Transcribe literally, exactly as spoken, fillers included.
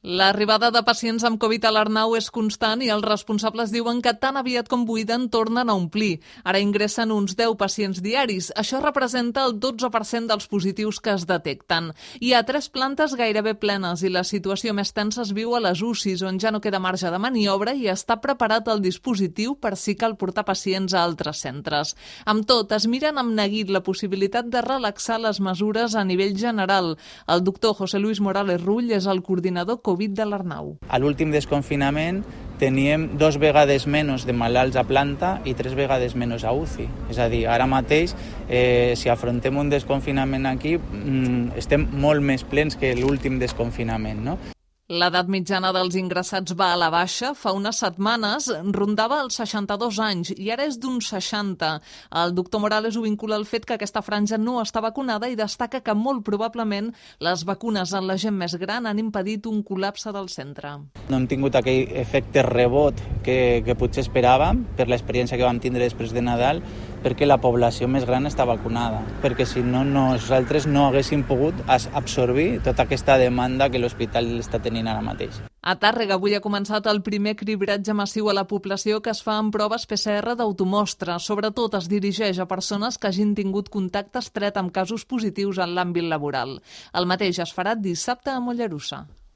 L'arribada de pacients amb Covid a l'Arnau és constant i els responsables diuen que tan aviat com buiden tornen a omplir. Ara ingressen uns deu pacients diaris. Això representa el dotze per cent dels positius que es detecten. Hi ha tres plantes gairebé plenes i la situació més tensa es viu a les U C Is, on ja no queda marge de maniobra i està preparat el dispositiu per si cal portar pacients a altres centres. Amb tot, es miren amb neguit la possibilitat de relaxar les mesures a nivell general. El doctor José Luis Morales Rull és el coordinador Covid de l'Arnau. A l'últim desconfinament teníem dos vegades menys de malalts a planta i tres vegades menys a U C I. És a dir, ara mateix, eh, si afrontem un desconfinament aquí, mm, estem molt més plens que l'últim desconfinament, no? L'edat mitjana dels ingressats va a la baixa. Fa unes setmanes rondava els seixanta-dos anys i ara és d'uns seixanta. El doctor Morales ho vincula al fet que aquesta franja no està vacunada i destaca que molt probablement les vacunes en la gent més gran han impedit un col·lapse del centre. No hem tingut aquell efecte rebot que, que potser esperàvem per l'experiència que vam tindre després de Nadal, perquè la població més gran està vacunada, perquè si no, nosaltres no haguéssim pogut absorbir tota aquesta demanda que l'hospital està tenint ara mateix. A Tàrrega avui ha començat el primer cribratge massiu a la població que es fa amb proves P C R d'automostra. Sobretot es dirigeix a persones que hagin tingut contacte estret amb casos positius en l'àmbit laboral. El mateix es farà dissabte a Mollerussa.